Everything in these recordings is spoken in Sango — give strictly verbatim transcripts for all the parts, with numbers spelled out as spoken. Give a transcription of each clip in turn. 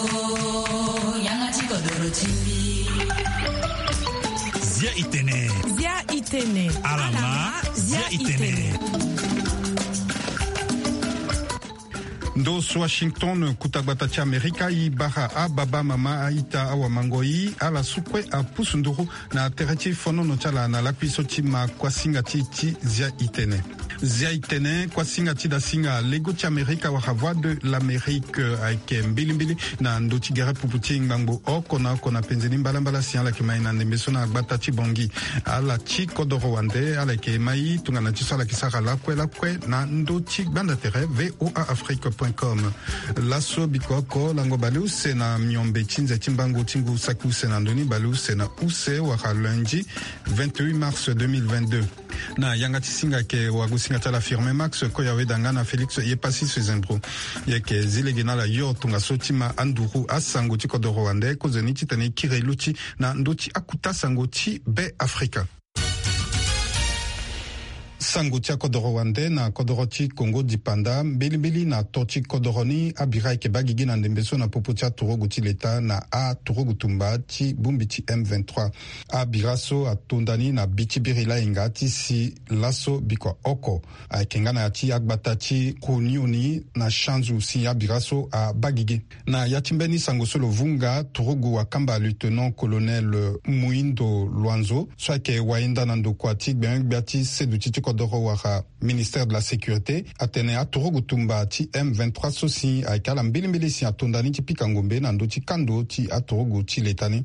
Yanga ti kodoro ti mbi. Zia itene. Zia itene. Alama. Zia itene. Ndo so Washington, kuta gbata ti Amerika, i bara ababa, mama, aita, awamangoi, ala su kue apusu nduru na tere ti fonono ti ala na lakui so ti ma kuasinga ti, ti Zia itene. Zia itene, kuasinga ti dasinga lego ti Amerika wala Voix de l'Amérique, ayeke mbilimbili na ndö ti gere pupu ti ngbangbo oko na oko na penze ni mbalambala si ala yeke mai na ndembe so na gbata ti Bangui. Ala ti kodoro wande, ala yeke mai tongana ti so ala yeke sara lakue lakue na ndö ti gbanda tere V O A Afrique point com. Laso biko oko lango baleuse na miombe ti nze ti mbango ti ngu saki use na ndö ni, baleuse na use wala lundi vingt-huit mars deux mille vingt-deux. Na yanga ti singa ayeke wagosinga ti ala Firmin Max Koyaweda nga na Félix Yepassi Sezembro. Yeke zi lege na ala yo tongaso ti ma anduru asango ti kodoro wande, kozoni titene e kiri luti na ndö ti akuta sango ti Be Afrika. Sango ti akodoro wande na kodoro ti Kongo dipanda, mbilimbili na to ti kodoro ni, abira ayeke baa gigi na ndembe so na popo ti aturugu ti leta na aturugu tumba ti bongbi ti M vingt-trois. Abira so atonda ni na bi ti biri lahinga ti si laso bikua oko ayeke nga na ya ti agbata ti Kunioni na Shanzu si abira so abaa gigi. Na ya ti mbeni sango so lo vunga, turugu wakamba lieutenant colonel Muindo Luanzo so ayeke wayenda na ndokua ti gbengbia ti seduti ti kodoro wala ministère de la sécurité atene aturugu tumba ti M vingt-trois so si ayeke ala mbilimbili si atonda ni ti pika ngombe na ndö ti kando ti aturugu ti leta ni.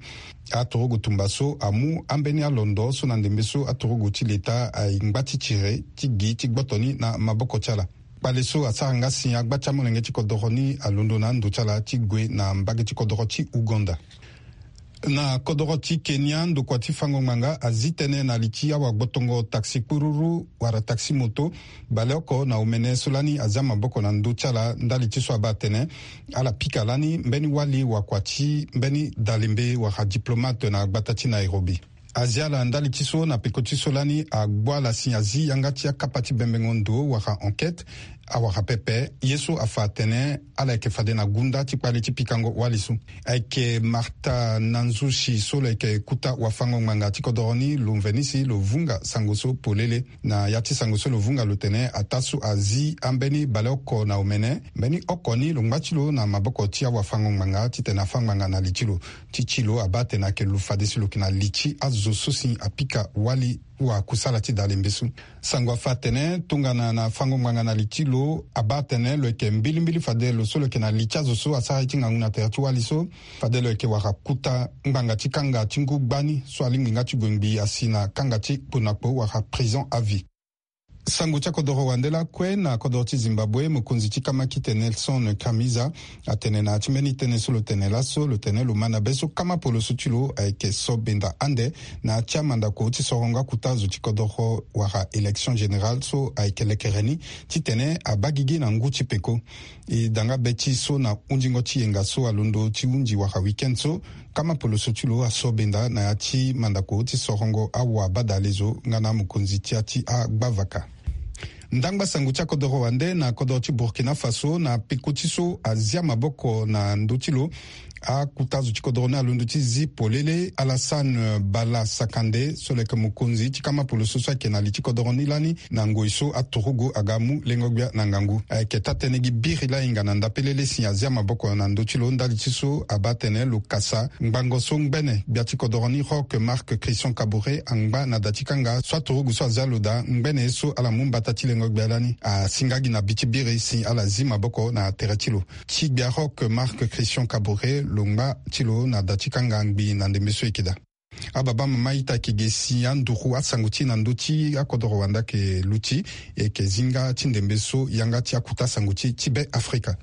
Aturugu tumba so amu ambeni alondo so na ndembe so aturugu ti leta aye ngba ti tiri ti gi ti gboto ni na maboko ti ala. Kpale so asara nga si agba ti amolenge ti kodoro ni alondo na ando ti ala ti gue na mbage ti kodoro ti Uganda. Na kodoro ti Kenya, ndokua ti fango ngbanga azi tënë na li ti awagbotongo taxi kpururu wala taxi moto, baleoko na omene so lani azia maboko na ndö ti ala ndali ti so abaa atene ala pika lani mbeni wali wakua ti mbeni dalembe wala diplomate na gbata ti Nairobi. Azia ala ndali ti so na peko ti so lani agbu ala si azi yanga ti akapa ti bembengo ndo wala enquête, awara pepe ye so afa atene ala yeke fade na gunda ti kpale ti pikango wali so. Ayeke Martha Nanzushi so lo yeke kuta wafango ngbanga ti kodoro ni, lo mveni si lo vunga sango so polele. Na ya ti sango so lo vunga lo tene ataa so azi ambeni baleoko na omene, mbeni oko ni lo ngba ti lo na maboko ti awafango ngbanga titene afâ ngbanga na li ti lo. Ti ti lo abaa atene ayeke lo fade si lo yeke na li ti azo so si apika wali wakusala ti dalembe so. Sango afa atene tongana na fango ngbanga na li ti lo, abaa atene lo yeke mbilimbili fade lo so lo yeke na li ti azo so asara ye ti ngangu na tere ti wali so, fade lo yeke wara kuta ngbanga ti kanga ti ngu gbani so alingbi nga ti gue ngbii asi na kanga ti kpo na kpo wala prison à vie. Sango ti akodoro wande lakue na kodoro ti Zimbabwe, mokonzi ti kamakite Nelson Chamisa atene na ya ti mbeni tënë so lo tene laso, lo tene lo ma na be so kama poloso ti lo ayeke so benda ande na ya ti amandako ti sorongo akuta zo ti kodoro wala élection générale so ayeke lekere ni, titene abaa gigi na ngu ti peko. E da nga be ti so na hundingo ti yenga so alondo ti hundi wala week-end so, kama poloso ti lo aso benda na ya ti mandako ti sorongo awa badale zo nga na amokonzi ti ya ti agbavaka. Ndangba sango ti akodoro wande na kodoro ti Burkina Faso, na peko ti so azia maboko na ndö ti lo akuta zo ti kodoro ni alondo ti zi polele Alassane Bala Sakande so lo yeke mokonzi ti kama poloso so ayeke na li ti kodoro ni lani, na ngoi so aturugu aga mu lengo-gbia na ngangu. Ayeke taa-tënë gi biri lahinga na ndapelele si azia maboko na ndö ti lo ndali ti so abaa atene lo kasa ngbanga so ngbene gbia ti kodoro ni Roch Marc Christian Kaboré angba na da ti kanga so aturugu so azia lo daa ngbene ye so ala mu mbata ti lengo-gbia lani asinga gi na bi ti biri si ala zi maboko na tere ti lo. Ti gbia Roch Marc Christian Kaboré lo ngba ti lo na da ti kanga ngbii na ndembe so e yeke daa. Ababa mama ita, e yeke ge si anduru asango ti e na ndö ti akodoro wande ayeke luti. E yeke zi nga ti ndembe so yanga ti akuta sango ti e ti Be Afrika.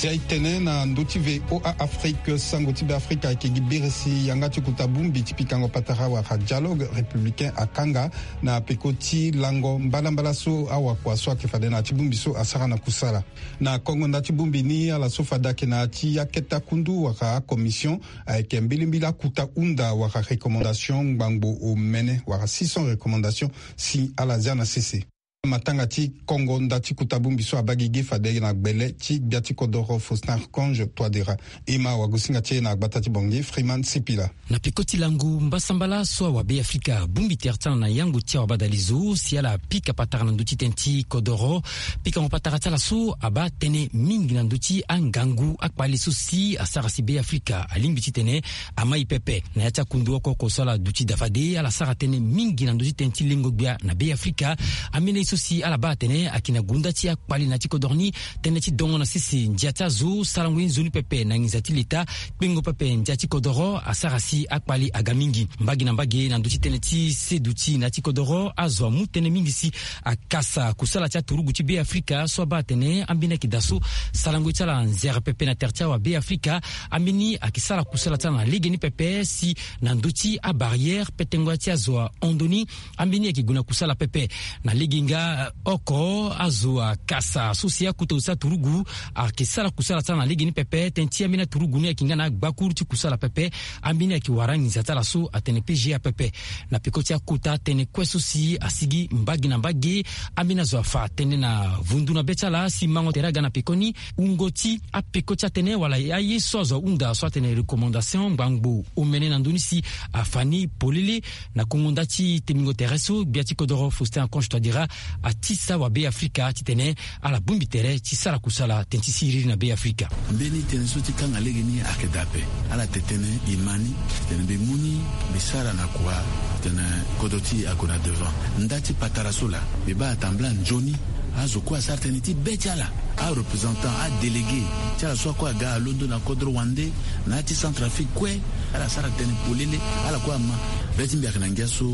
Ti aye tene na ndö ti VOA Afrique, sango ti Beafrika ayeke gi birisi yanga ti kota bongbi ti pikango patara wala dialogue républicain akanga na peko ti lango mbalambala so awakua so ayeke fade na ya ti bongbi so asara na kusala. Na kongo nda ti bongbi ni, ala so fade ayeke na ya ti akete akundu wala acommission ayeke mbilimbili akuta hunda wala recommandation ngbangbo omene wala six cents recommandation si ala zia na sese. Matanga ti kongo nda ti kota bongbi so abaa gigi fade na gbele ti gbia ti kodoro Faustin Archange Touadéra. E ma wagosinga ti e na gbata ti Bangui, Freeman Sipila. Na peko ti lango mbasambala so awabe Afrika, bongbi tere ti ala na yango ti awabadalizo si ala pika patara na ndö ti tënë ti kodoro. Pikango patara ti ala so abaa tënë mingi na ndö ti angangu akpali so si asara si be Afrika alingbi titene amai pepe. Na ya ti akundu oko oko so ala duti daa fade, ala sara tënë mingi na ndö ti tënë ti lengo gbia na be Afrika. Ambeni aye so si ala baa atene ayeke na gunda ti akpali na ya ti kodoro ni, tënë ti dongo na sese ndia ti azo, sarango ye nzoni pepe na nginza ti leta, kpengo pepe ndia ti kodoro asara si akpali aga mingi. Mbage na mbage na ndö ti tënë ti seduti na ya ti kodoro, azo amu tënë mingi si akasa kusala ti aturugu ti be Afrika so abaa atene ambeni ayeke daa so sarango ye ti ala nzere pepe na tere ti awabe Afrika. Ambeni ayeke sara kusala ti ala na legeni pepe si na ndö ti abarrière petengo ya ti azo ahon ndoni. Ambeni ayeke gue na kusala pepe na lege nga, eh, oko azo akasa so si akota zo ti aturugu ayeke sara kusala ti ala na legeni pepe. Tënë ti ambeni aturugu ni ayeke nga na agbakuru ti kusala pepe. Ambeni ayeke wara anginza ti ala so atene P G A pepe. Na peko ti akota tënë kue so si asigi mbage na mbage, ambeni azo afa tënë na vundu na be ti ala si mango tere aga na pekoni, wungo ti apeko ti atënë wala aye so azo ahunda so atene recommandation ngbangbo omene na ndö ni si afa ni polele. Na kongo nda ti temingo tere so, gbia ti kodoro Faustin Archange Touadéra atisa wabe Afrika titene ala bongbi tere ti sara kusala tënë ti siriri na be Afrika. Mbeni tënë so ti kanga legeni ayeke daa ape. Ala te tënë e ma ni titene mbi mu ni, mbi sara na kua titene kodro ti e ague na devant. Nda ti patara so laa, mbi baa atambula nzoni azo kue asara tënë ti be ti ala, areprésentant, adélégué ti ala so akue aga alondo na kodro wande na ya ti Centrafrique kue. Ala sara tënë polele, ala kue ama. Be ti mbi ayeke na ngia so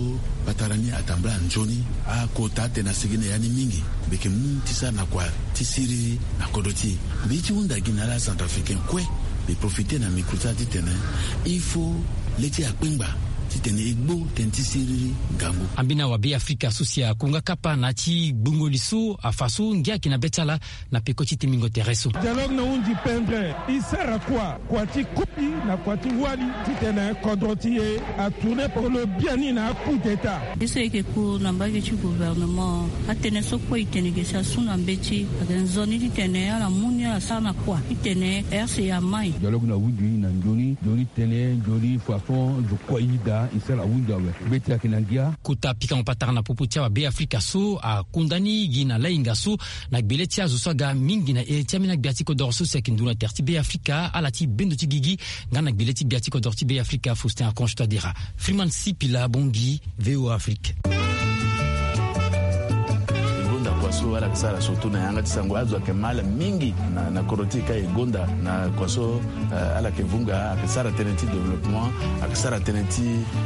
patara ni atambula nzoni, akota atene asigi na ya ni mingi. Mbi yeke mu ti sara na kua ti siriri na kodro ti e. Mbi ye ti hunda gi na ala Centrafricain kue, mbi profite na micro ti ala titene il faut le ti e akpengba titene e gbu tënë ti siriri ngangu. Ambeni awabe Afrika so si akonga kapa na ya ti gbungo li so afa so ngia ayeke na be ti ala na peko ti temingo tere so. Dialogue na hunzi pendre, e sara kua, kua ti koli na kua ti wali titene kodro ti e atourne polo biani na coup d'état. Ye so e yeke ku na mbage ti gouvernement, atënë so kue e tene ge si asu na mbeti, ayeke nzoni titene ala mu ni ala sara na kua titene R C A amai. Dialogue na hunzi na nzoni, nzoni tënë, nzoni façon zo kue e yeda e sara hunzi awe. Mbeti ayeke na ngia. Kota pikango patara na popo ti awabe Afrika so akonda ni gi na lainga so na gbele ti azo so aga mingi na ere ti ambeni agbia ti kodoro so si ayeke nduru na tere ti be Afrika, ala ti bendo ti gigi nga na gbele ti gbia ti kodoro ti be Afrika Faustin Archange Touadéra. Freeman Sipila, Bangui, VOA Afrique. E gonda kua so ala yeke sara surtout na yanga ti sango, azo ayeke ma ala mingi na, na kodro ti e ka e gonda na kua so, eh, ala yeke vunga, ayeke sara tënë ti développement, ayeke sara tënë ti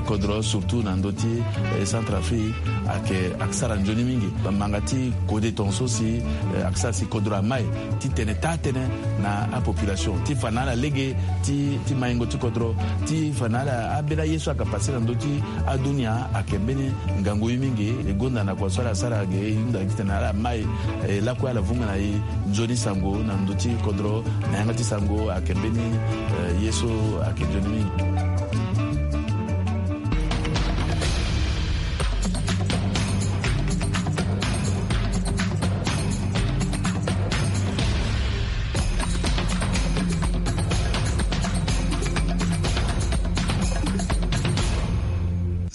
kodro surtout na ndö ti, eh, Centrafrique, ayeke, ayeke sara nzoni mingi. Bamanga ti kode tongaso si, eh, ayeke sara si kodro amai titene taa tënë na apopulation ti fa na ala lege ti, ti maingo ti kodro, ti fa na ala ambeni aye so ayeke pase na ndö ti adunia. Ayeke mbeni ngangu ye mingi. E gonda na kua so ala sara ge, e hunda titene ala mai, eh, lakue ala vunga na e nzoni sango na ndö ti kodro, na yanga ti sango ayeke mbeni, eh, ye so ayeke nzoni mingi.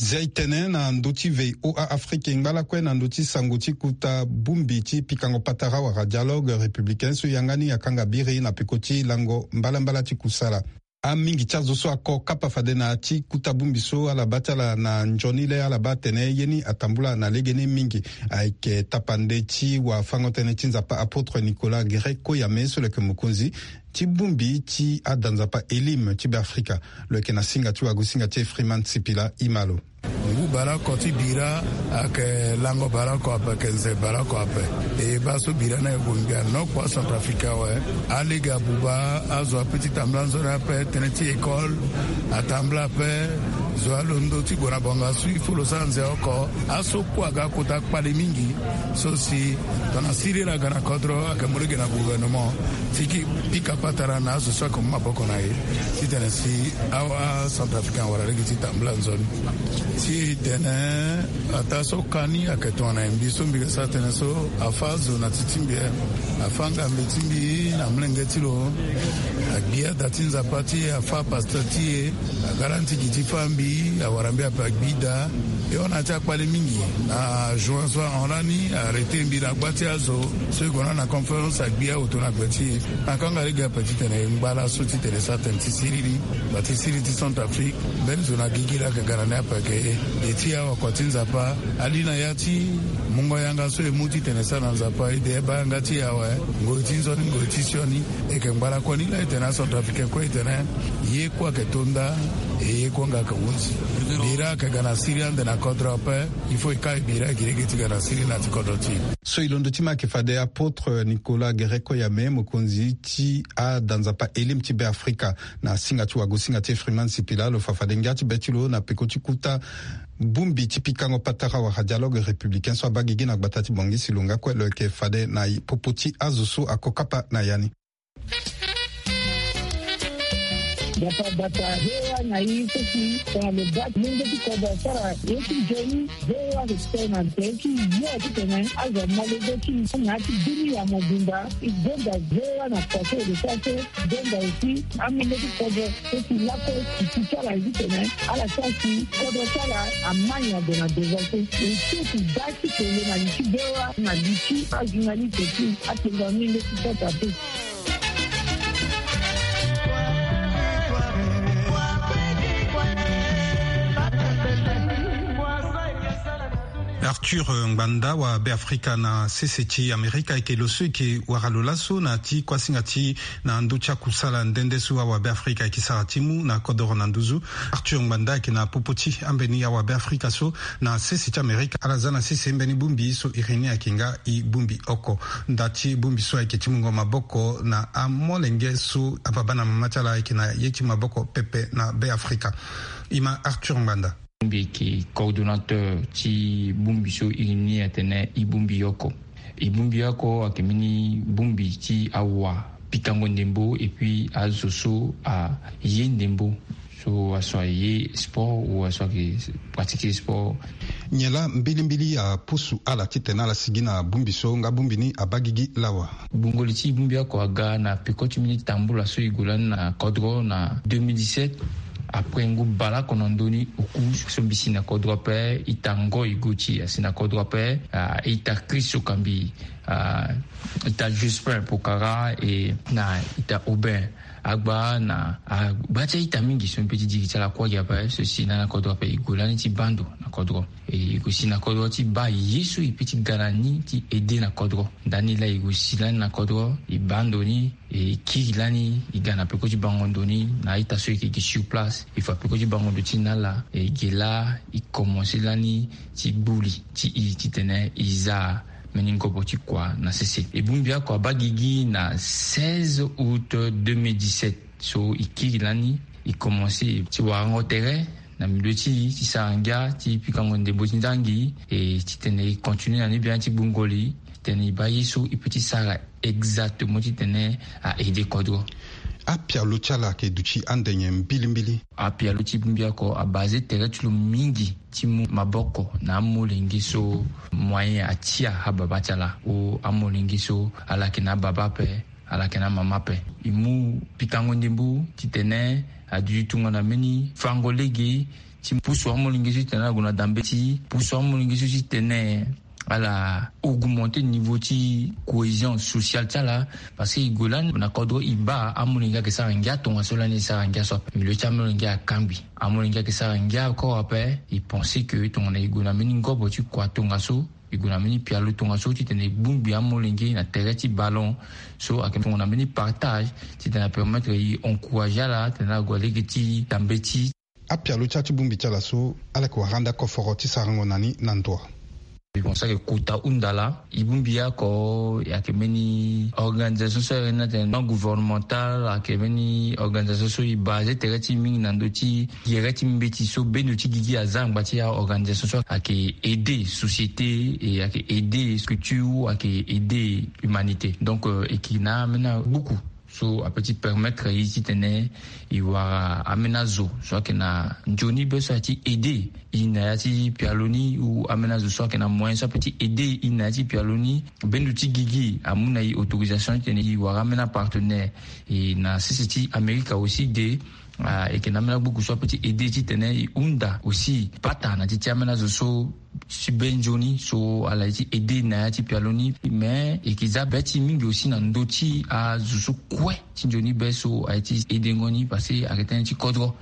Zia e tene na ndö ti VOA Afrique, e ngba lakue na ndö ti sango ti kota bongbi ti pikango patara wala dialogue républicain so yanga ni akanga biri na peko ti lango mbalambala ti kusala. Amingi ti azo so ako kapa fade na ya ti kota bongbi so ala baa ti ala na nzoni le ala baa atene ye ni atambula na legeni mingi. Ayeke tapande ti wafango-tënë ti Nzapa apôtre Nicolas Guéret Koyame so lo yeke mokonzi ti bongbi ti ada Nzapa Elim ti Beafrika. Lo yeke na singa ti wagosinga ti e Freeman Sipila. E ma lo. Ngu baleoko ti bira ayeke lango baleoko ape, ayeke nze baleoko ape. E baa so bira ni ayeke gue ngbi anokpo acentrafricain awe. Alege abuba azo ape ti tambula nzoni ape, tënë ti école atambula ape. Zo alondo ti gue na bonga so il faut lo sara nze oko. Aso kue aga akota kpale mingi. So si tongana siriri aga na kodro, ayeke mu lege na gouvernement ti pika patara na azo so ayeke mu maboko na e, titene si acentrafricain awara lege ti tambula nzoni. Ti tene ataa so ka ni ayeke tongana e, mbi so mbi ga sara tënë so, afâ azo na ti ti mbi, afâ ngambe ti mbi na molenge ti lo, agbi ada ti Nzapa ti e, afâ pasteur ti e, aga lani ti gi ti fâ mbi, awara mbi ape agbi daa. E hon na ya ti akpale mingi. Na juin so ahon lani, arrêté mbi na gba ti azo so e gue na ni na conférence, agbi aoto na gbe ti e. Na kanga lege ape titene e ngba laso titene e sara tënë ti siriri, ngba ti siriri ti Centrafrique. Mbeni zo na gigi laa ayeke ga na ni ape ayeke e. E ti e awakua ti Nzapa, ali na ya ti mungo yanga so e mu titene e sara na Nzapa, e de e baa yanga ti e awe. Ngoi ti nzoni, ngoi ti sioni. E yeke ngba lakue ni laa, e tene acentrafricain kue e tene ye kue ayeke to nda, e ye kue nga ayeke hunzi. Bira ayeke ga na siriri ande na kodro ape. Il faut e ka e bira e gi lege ti ga na siriri na ya ti kodro ti e. So e londo ti ma ayeke fade apôtre Nicolas Guerrero Yame, mokonzi ti ada Nzapa Elim ti Beafrika, na singa ti wago-singa ti e Freeman Sipila, lo fa fade ngia ti be ti lo na peko ti kota bongbi ti pikango patara wala dialogue républicain so abaa gigi na gbata ti Bangui. Si lo nga kue, lo yeke fade na popo ti azo so ako kapa na ya ni. Nzapa abata V O A na e so si tongana lo baa molenge ti kodro asara ye ti nzoni, V O A ayeke sara na tere ti yo titene azo amolenge ti e na ya ti bini ya mobimba. E gonda V O A na kua so e lo sara so, e gonda aussi amolenge ti kodro so si lakue e ti ti ala titene ala sara si kodro ti ala ama nyen ague na devant so. E so e ti baa ti tene na li ti V O A na li ti ajournaliste ti atengo amolenge ti kodro ape. Arthur Ngbanda wa Beafrika na sese ti Amerika ayeke lo so e yeke wara lo laso na ya ti kuasinga ti na ndö ti akusala nde nde so awa Beafrika ayeke sara ti mu na kodoro na nduzu. Arthur Ngbanda ayeke na popo ti ambeni awa Beafrika so na sese ti Amerika. Ala za na sese mbeni bongbi so iri ni ayeke nga e bongbi oko. Nda ti bongbi so ayeke ti mungo maboko na amolenge so ababa na mama ti ala ayeke na ye ti maboko pepe na Beafrika. E ma Arthur Ngbanda. Mbi yeke coordonnateur ti bongbi so iri ni atene e bongbi oko. E bongbi oko ayeke mbeni bongbi ti awa pikango ndembo et puis azo so aye ndembo, so aso aye sport ou aso ayeke pratiquer sport. Nyen laa mbilimbili apusu ala titene ala sigi na bongbi so nga bongbi ni abaa gigi lawa? Gbungo li ti e bongbi oko aga na peko ti mbeni tambula so e gue lani na kodro na deux mille dix-sept. Après ngu baleoko na ndö ni oku so mbi si na kodro ape, ita Ngoy Gauthier asi na kodro ape, ah, ita Chris Okambi, ah, ita Jospin Pokara, e na ita Aubin Agba na agba ti a-ita mingi so mbi pe ti diri ti ala kuâ gi ape so si lani na kodro ape e gue lani ti baa ndo na kodro. E gue si na kodro ti baa ye so e pe ti ga na ni ti aide na kodro. Ndani laa e gue si lani na kodro, e baa ndo ni, e kiri lani, e ga na peko ti bango ndo ni na a-ita so e yeke gi sur place. E fa peko ti bango ndo ti na ala, e ge laa e komanse lani ti gbu li ti e titene e za mbeni ngobo ti kua na sese. E bongbi oko abaa gigi na seize août deux mille dix-sept. So e kiri lani, e komanse ti warango tere na milieu ti e ti sara ngia ti pikango ndembo ti ndangi, e titene e continue na ni biani ti gbungo li titene e baa ye so e pe ti sara exactement titene a aide kodro. Apialo ti ala ayeke duti ande nyen mbilimbili? Apialo ti bongbi oko abase tere ti lo mingi ti mu maboko na amolenge so moyen atia ababa ti ala, o amolenge so ala yeke na ababa ape, ala yeke na amama ape. E mu pikango ndembo titene aduti tongana mbeni fango lege ti pusu amolenge so titene ala gue na dambe ti e, pusu amolenge so titene ala augmenter niveau ti cohésion sociale ti ala. Parce que e gue lani na kodro e baa amolenge ayeke sara ngia tongaso lani e sara ngia so ape. Milieu ti amolenge akangbi. Amolenge ayeke sara ngia encore ape. E pense que tongana e gue na mbeni ngobo ti kua tongaso, e gue na mbeni pialo tongaso titene e bongbi amolenge na tere ti ballon so ayeke tongana mbeni partage titene apermettre e encourager ala titene ala gue na lege ti dambe ti Apialo ti ati bongbi ti ala so ala yeke wara ande akoforo ti sarango na ni na ndo. Bon, so ayeke kota hunda laa, e bongbi oko ayeke mbeni organisation so ayeke na tene non gouvernemental, ayeke mbeni organisation so e base tere ti e mingi na ndö ti gere ti mbeti so bendo ti gigi aza angba ti aorganisation so ayeke aider société, e ayeke aider structure, ayeke aider humanité. Donc e yeke na ambeni agbuku so ape ti permettre e titene e wara ambeni azo so ayeke na nzoni be so aye ti aider e na ya ti pialo ni, ou ambeni azo so ayeke na moyen so ape ti aider e na ya ti pialo ni. Bendo ti gigi amu na e autorisation titene e wara ambeni apartenaire. E na sese ti Amerika aussi de, e yeke na ambeni agbuku so ape ti aider titene e hunda aussi pata na ti ti ambeni azo so ti be nzoni so ala ye ti aider na ya ti pialo ni. Mais e yeke za be ti e mingi aussi na ndö ti azo so kue ti nzoni be so aye ti aidengo ni, parce que ayeke tënë ti kodro.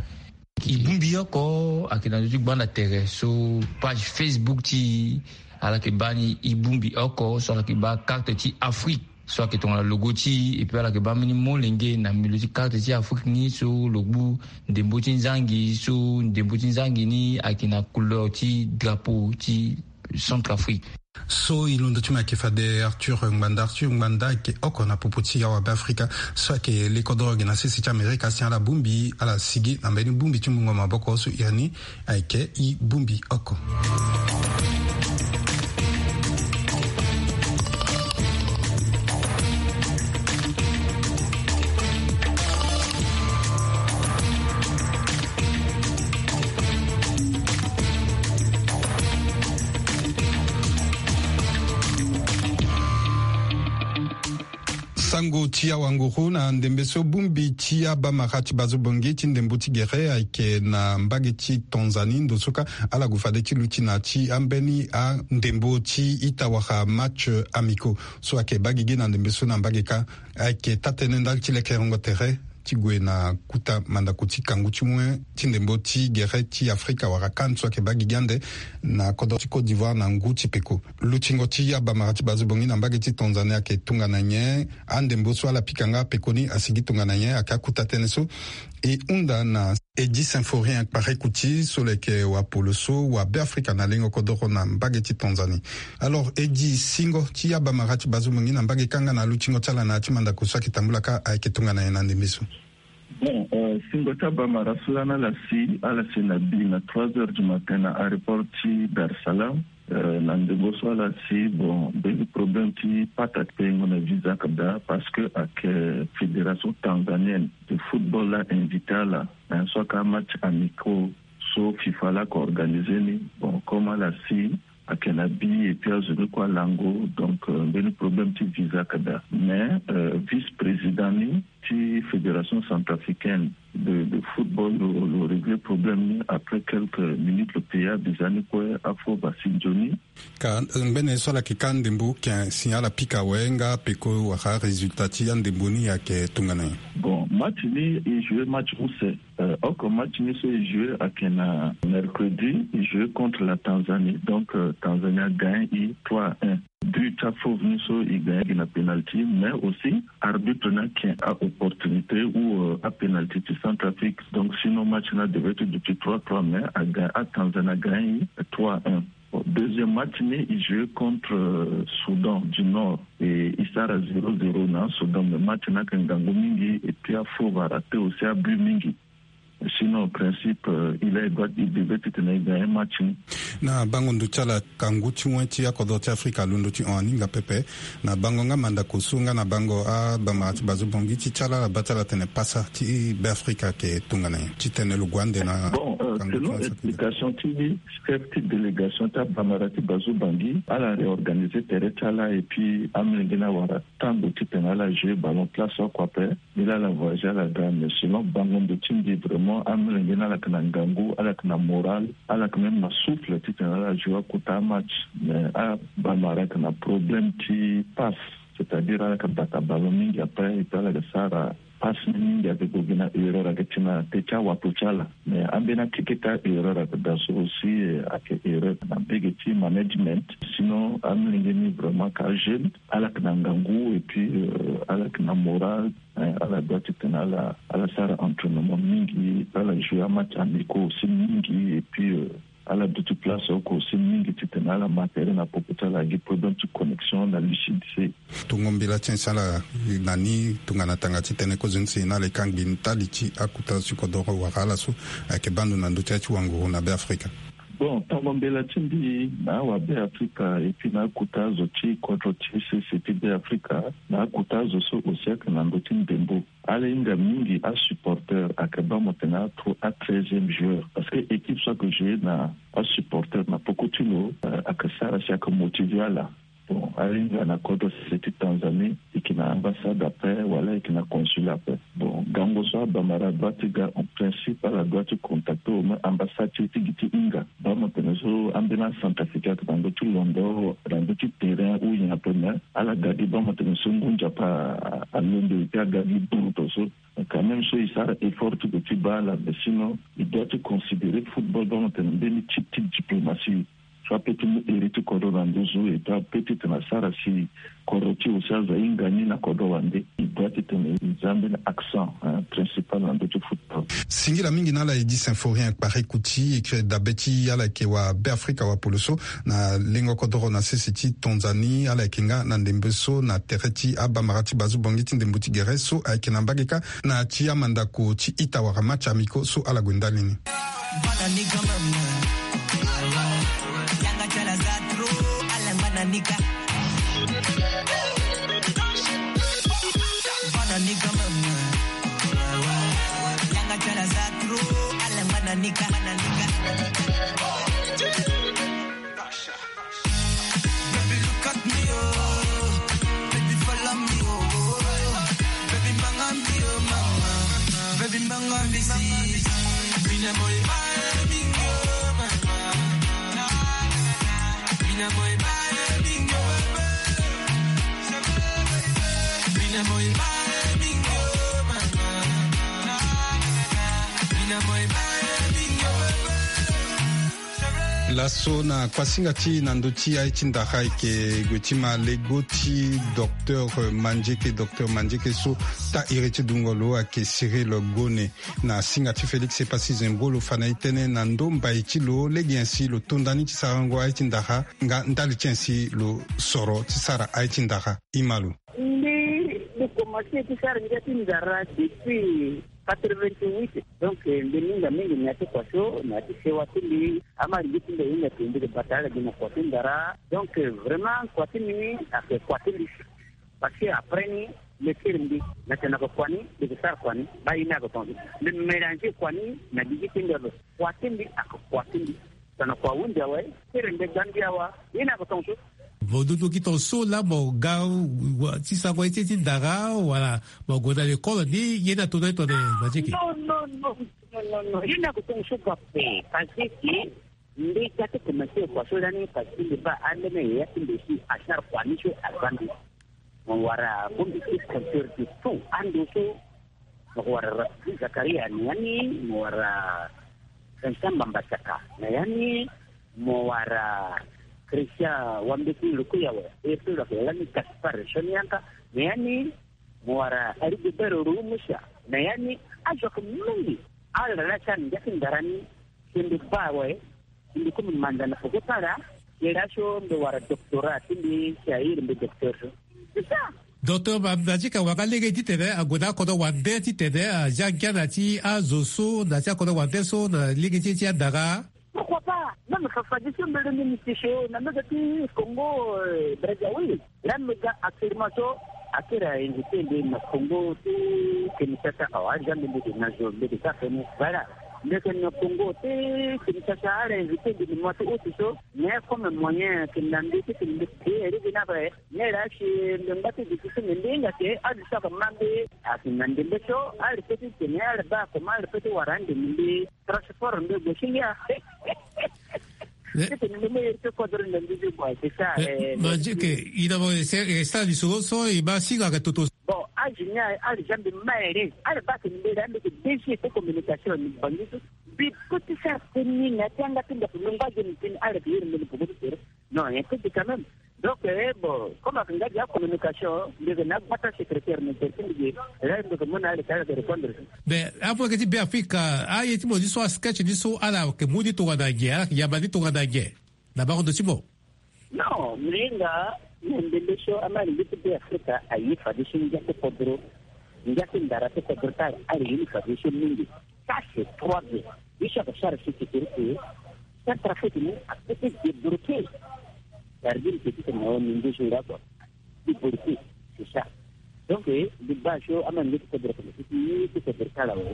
E bongbi oko ayeke na ndö ti gbanda tere so page Facebook ti e, ala yeke baa ni e bongbi oko so ala yeke baa carte ti Afrique so ayeke tongana logo ti e, et puis ala yeke baa mbeni molenge na milieu ti carte ti Afrique ni so lo gbu ndembo ti nzangi, so ndembo ti nzangi ni ayeke na couleur ti drapeau ti Centrafrique. So e londo ti mo ayeke fade Arthur Ngbanda. Arthur Ngbanda ayeke oko na popo ti awabe Afrika so ayeke le kodoro gi na sese ti Amerika si ala bongbi, ala sigi na mbeni bongbi ti mungo maboko so iri ni ayeke e bongbi oko. Sango ti awanguru na ndembe so bongbi ti abamara ti bazo bongi ti ndembo ti gere ayeke na mbage ti Tanzanie ndo so kâ ala gue fade ti luti na ti ambeni andembo ti ita wala match amicaux so ayeke baa gigi na ndembe so na mbage kâ ayeke taa-tënë ndali ti lekerengo tere ti gue na kuta mandako ti kangu ti wen ti ndembo ti gere ti Afrika wala CAN so ayeke baa gigi ande na kodro ti Côte d'Ivoire na ngu ti peko. Lutingo ti abamara ti bazo bongi na mbage ti Tanzanie ayeke tongana nyen? Andembo so ala pika nga peko ni asigi tongana nyen? Ayeke akuta tënë so e hunda na Eddy Symphorien Kpare Kuti so lo yeke wapolo so wabe Afrika na lengo kodoro na mbage ti Tanzanie. Alors Eddy, singo ti abamara ti bazo bongi na mbage kâ nga na lutingo ti ala na ya ti mandako so ayeke tambula kâ ayeke tongana nyen na ndembe so? Bon, euh, singo ti abamara so lani ala si, ala si na bi na trois heures du matin na aéroport ti Dar es Salaam. Euh, na ndembo so ala si, bon, mbeni problème ti pata ti pengo na visa ayeke daa, parce que ayeke fédération tanzanienne de football la invité ala, hein, so ayeke amatch amicaux so FIFA la ayeke organisé ni. Bon, comme ala si, ayeke na bi et puis azo ni kue alango, donc euh, mbeni problème ti visa ayeke daa. Mais euh, vice-président ni ti fédération centrafricaine de, de football lo, lo réglé problème ni. Après quelques minutes lo paya visa ni kue, afo basi nzoni. Ka ngbene so ala yeke kâ ndembo ken si ala pika awe nga peko wala résultat ti andembo ni ayeke tongana nyen? Bon, match ni e joué match use. Euh, oko match ni so e joué ayeke na mercredi, e joué contre la Tanzanie. Donc euh, Tanzanie agagné e trois à un. But ti afauve ni so e gagné gi na penalty, mais aussi arbitre ni ayeke a opportunité ou euh, apenalty ti Centrafrique. Donc sinon match ni adevait ti duti trois trois, mais aga atanzanie agagné trois un. Bon, deuxième match ni e joué contre euh, Soudan du Nord, et e sara zéro zéro na Soudan, mais match ni ayeke ngangu mingi et puis afauve araté aussi abut mingi. Sinon en principe euh, il a droit, il devait titene e gagné match ni. Na bango ndo ti ala, kangu ti wen ti akodro ti Afrika alondo ti hon aninga pepe. Na bango nga mandako so nga na bango abamara ti bazo bongi ti ti ala, ala baa ti ala tene pasa ti Beafrika ayeke tongana nyen titene lo gue ande na... Bon euh, selon explication ti chef ti délégation ti abamara ti bazo bongi, ala réorganisé tere ti ala et puis amolenge ni awara tango titene ala joué ballon place oko ape. Ni laa ala voyagé ala ga, mais selon bango ndo ti mbi vraiment amolenge ni ala yeke na ngangu, ala yeke na moral, ala yeke même na souffle titene ala joué akota amatch. Mais abamara ayeke na problème ti passe, c'est-à-dire ala yeke bata ballon mingi après et puis ala yeke sara Passe ni mingi ayeke gue gi na erreur ayeke ti na teti awato ti ala. Mais ambeni akeke ti a-erreur ayeke daa so aussi, eh, ayeke erreur na mbege ti management. Sinon amolenge ni vraiment ka jeune, ala yeke na ngangu et puis, euh, ala yeke na moral. Eh, ala doit ti tene ala, ala sara entraînement mingi, ala joue amatch amicaux aussi mingi et puis, euh, ala duti place oko aussi mingi ti tene ala ma tere na popo ti ala gi problème ti connexion na lucidité. Tongo mbela ti en si ala na ni tongana tanga ti tene kozo ni si na ala e kangbi ndali ti akuta ti kodoro wala ala so ayeke baa ndo na ndö ti ya ti wanguru na Beafrika. Bon, tongo mbela ti mbi na awa Beafrika et puis na akuta azo ti kodro ti sese ti Beafrika, na akuta azo so aussi ayeke na ndö ti ndembo. Ala hinga mingi asupporteur ayeke baa mo tene atro a treizième joueur parce que équipe so ayeke jouer na asupporteur na poko ti lo, euh, ayeke sara si ayeke motiver ala. Bon, ala hinga na kodro sese ti Tanzanie, e yeke na ambassade ape wala e yeke na consul ape. Bon, gango so abamara doit ti ga en principe ala doit ti contacter au moins ambassade ti e ti gi ti hinga. Baa mo tene so ambeni acentrafricain ayeke na ndö ti londo, na ndö ti terrain ou nyen ape, mais ala ga gi baa mo tene so ngu nzapa alondo e ti aga gi bruto so. Quand même so e sara effort ti gue ti baa ala, mais sinon e doit ti considérer football baa mo tene mbeni type ti diplomatie so ape ti mu iri ti kodro na nduzu, e doit ape ti tene asara si kodro ti e aussi aza hinga ni na kodro wande. E doit ti tene e za mbeni accent, hein, principal na ndö ti football. Singila mingi na ala e di Symphorien Kpari Kuti, e kiri dabe ti ala yeke wa Beafrika wapolo so na lengo kodoro na sese ti Tanzanie, ala yeke nga na ndembe so na tere ti abamara ti bazu bongi ti ndembo ti gere so ayeke na mbage kâ na ti amandako ti ita wala match amicaux so ala gue ndali ni. Baby, look at me, oh. Baby, follow me, oh. Baby, manga me, oh, mama. Baby, manga me, see. Mina boy, my bingo, mama. Mina boy, my bingo, mama. Mina boy, my bingo, mama. Mina boy, my bingo, mama. Laso na kuasinga ti na ndö ti aye ti ndara e yeke gue ti ma lego ti docteur Mandieke, docteur Mandieke so taa iri ti dungo lo ayeke Cyril Gone. Na singa ti Félix Epassi Zembolo fa na e tënë na ndo mbai ti lo lege nyen si lo to nda ni ti sarango aye ti ndara nga ndali ti nyen si lo soro ti sara aye ti ndara. Ima lo. Mbi, mbi komanse ti sara ngia ti ndara depuis quatre-vingt-huit. Donc, eh, mbi hinga mingi na ya ti kua so, na ya ti sewa ti mbi, ama lingbi ti mbi ahinga ti mbi ke bata ala gi na kua ti ndara. Donc, eh, vraiment, kua ti mbi ni ayeke kua ti mbi. Parce que après ni, mbi kiri mbi, na tene na yeke kua ni, mbi ke sara kua ni, baa ye ni ayeke tongaso. Mbi mélanger kua ni na gigi ti mbi ape. Kua ti mbi ayeke kua ti mbi. Tongana kua ahunzi awe, kiri mbi ga mbi awa, ye ni ayeke tongaso. Mo dutu gi tongaso laa mo ga wa, ti sarango ye ti, ti ndara, wala mo gue na lekole ni, ye ni ato na ye tongana Mandieke? Non, non, non, non, non, non. Ye ni ayeke tongaso ga ape, parce que mbi ga ti komanse kua so lani, parce que mbi baa ambeni yaya ti mbi si asara kua ni so aza mbi. Mo wara Bongbi ti compteur de tout ando so. Mo wara Rafiki Zakaria na ya ni, mo wara Vincent Mbamba Saka na ya ni, mo wara Christian Wambeti Lukuyawe, e so lo yeke lani Gaspard Sonianka na ya ni, mo wara Rigobert Rumusa na ya ni. Azo ayeke mingi. Ala laa ti ala na ngia ti ndara ni, si mbi baa awe, si mbi kue mbi manda na peko ti ala, si laso mbi wara doctorat ti mbi, si a iri mbi docteur so. C'est ça. Docteur Ma-, Mandieke, wara lege titene ague na akodro wande titene azia ngia na ya ti azo so, na ya ti akodro wande so, na lege ti, ti andara. Pourquoi pas? Même Fafa Diouf so mbele ni mbi ti so na mbage ti Congo, euh, Brazzaville. Laa mbi ga actuellement so, akiri a invité mbi na Congo ti Kinshasa awa, aza mbi, mbi ke na zo, mbi ke sara feni. Voilà. Mbi ke na Congo ti Kinshasa, ala invité mbi na mois ti août so. Mais comme moyen ayeke na mbi titene mbi créer rive ni ape. Mais laa si mbi ngba ti duti so, mbi, mbi hinga ke aduti so ayeke ma mbi. Ayeke na ndembe so, ala peut ti tene, ala baa comment ala peut ti wara ande mbi. Transport mbi gue ti ngia. Eh. Titene mbi mo iri ti kodro na mbi ti gue, c'est ça, eh, eh, Mandieke, i na mo e sara lisoro so, e ma singa ayeke toto. Bon, azo Ti ni aye, ala jambe ma ere, ala baa ke ni mbele, ala meke D G ti communication ni Bangui so. Mbi peut ti sara tënë ni na ya ti yanga ti mbi ape, lo ngba ge ni tënë ni, ala yeke iri mbeni popo ti tere. Non, nyen ti di quand même. Donc, eh, bon, comme ayeke nga gi acommunication, mbi yeke na agbata secrétaire ni tere ti mbi ge, eh, mbi yeke mu na ala ti ala yeke répondre. Mais afu ayeke ti Beafrika, aye ti mo ni so, asketch ni so, ala yeke mu ni tongana nyen, ala yeke yamba ni tongana nyen? Na bango ndo ti mo. Non, mbi hinga na ndembe so, ama ni ngu ti Beafrika aye fadeso ngia ti kodro, ngia ti ndara ti kodro ti ala, ala ye ni fadeso mingi. Ça, c'est trois bien. Biso ayeke sara si ti tere ke Centrafrique ni apeut ti débloquer. Sardine ke ti tene na o ni ngu so nga kua. Débloquer, c'est ça. Donc, eh, mbi baa so ama ni ngu ti kodro, ti kodro ti ala awe.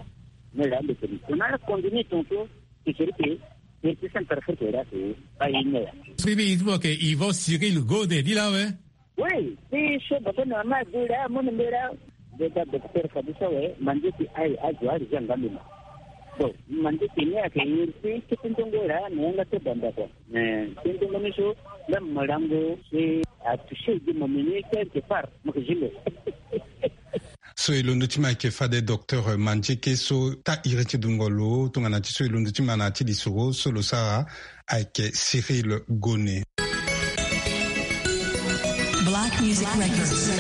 Mais là, mbi tene, on a continué ton tour. Ti siriki, ti, ti Centrafrique la ti, ba yi ne ya. Siriki, il faut que Yvon Cyril Gone ni la we. Oui, ti so baba na mama du la, mo ni mbela. Beta docteur Fadusa we, mandi ti aye azo ari zanga luma. Bon, mandi ti ni ayeke iri ti, ti ndongo la, na yanga ti banda quoi. Mais ti ndongo ni so, la malango, c'est à toucher de mon menu quelque part, mo ke jile. So e londo ti ma ayeke fade docteur Mandieke so taa iri ti dungo lo tongana ti so e londo ti ma na ya ti lisoro so lo sara ayeke Cyril Gone. Black Music Records.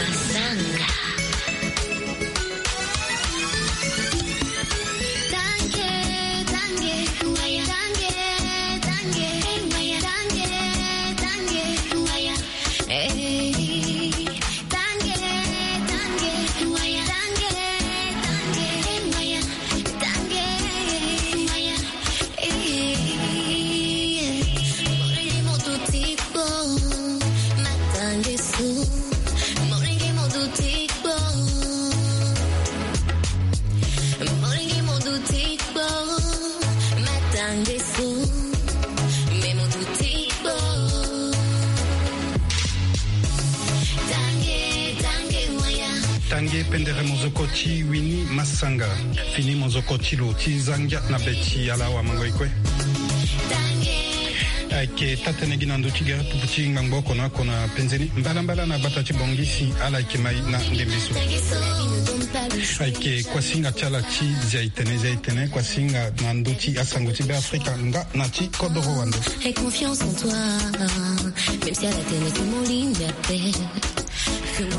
Tange pendere mozoko ti Winnie Massanga. Fini mozoko ti lo ti za ngia na be ti ala awamango e kue. Ayeke taa-tënë gi na ndö ti gere pupu ti ngbangbo oko na oko na penze ni. Mbalambala na gbata ti Bangui si ala yeke ma e na ndembe so. Ayeke kuasinga ti ala ti zia e tene, zia e tene, kuasinga na ndö ti asango ti Beafrika nga na ti kodoro wande.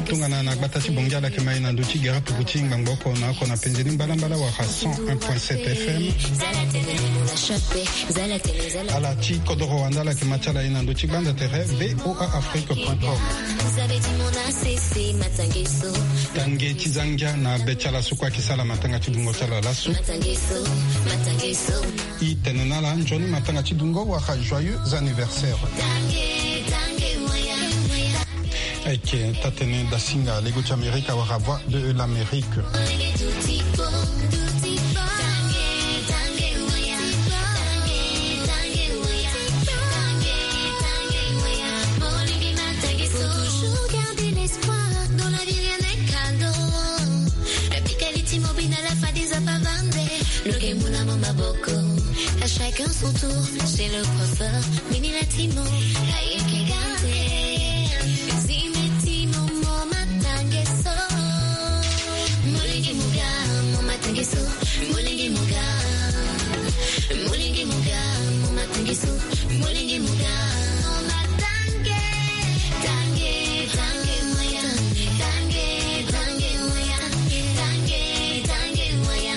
Tongana na gbata ti Bangui ala yeke ma e na ndö ti gere pupu ti ngbangbo oko na oko na penze ni mbalambala wala cent un point sept F M. Ala ti kodoro wande ala yeke ma ti ala e na ndö ti gbanza tere V O A Afrique point com. Tange ti za ngia na be ti ala so kue ayeke sala matanga ti dungo ti ala laso. E tene na ala nzoni matanga ti dungo wala joyeux anniversaire. Ayeke taa-tënë dasinga lego ti Amerika wala Voix de l'Amérique. Lo ke mu na mo maboko. À chacun son tour, chez le coiffeur, mini la timo. Aye ke gate. Zime timo mo matange so. Molenge mo ga, mo matange so. Molenge mo ga. Molenge mo ga, mo matange so. Molenge mo ga. Mo matange. Tange, tange, moya. Tange, tange, moya. Tange, tange, moya.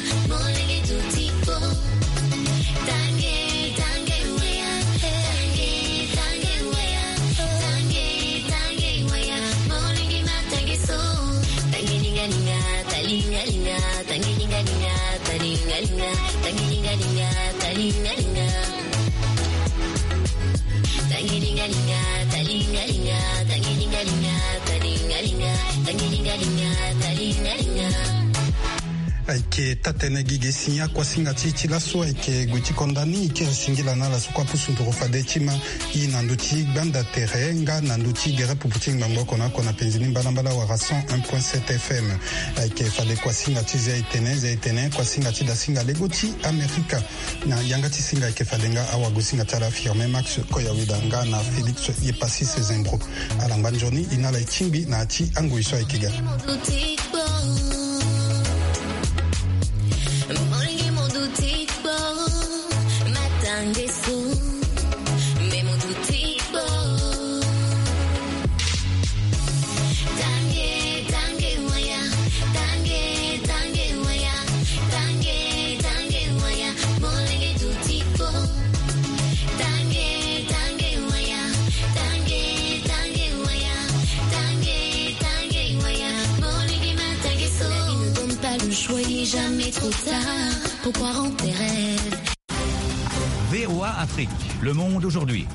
Ayeke taa-tënë gi ge si akuasinga ti e ti laso ayeke gue ti konda ni. E kiri singila na ala so kue apusu nduru fade ti ma e na ndö ti gbanda tere nga na ndö ti gere pupu ti ngbangbo oko na oko na penzi ni mbalambala wala cent un point sept F M. Ayeke fade kuasinga ti zia etene zia etene kuasinga ti dasinga lego ti Amerika. Na yanga ti singa ayeke fade nga awagosinga ti ala Firmin Max Koyaweda nga na Félix Yepasis Zembro. Ala ngba nzoni e na ala e tingbi na ya ti angoi so ayeke ga. V O A Afrique, le monde aujourd'hui.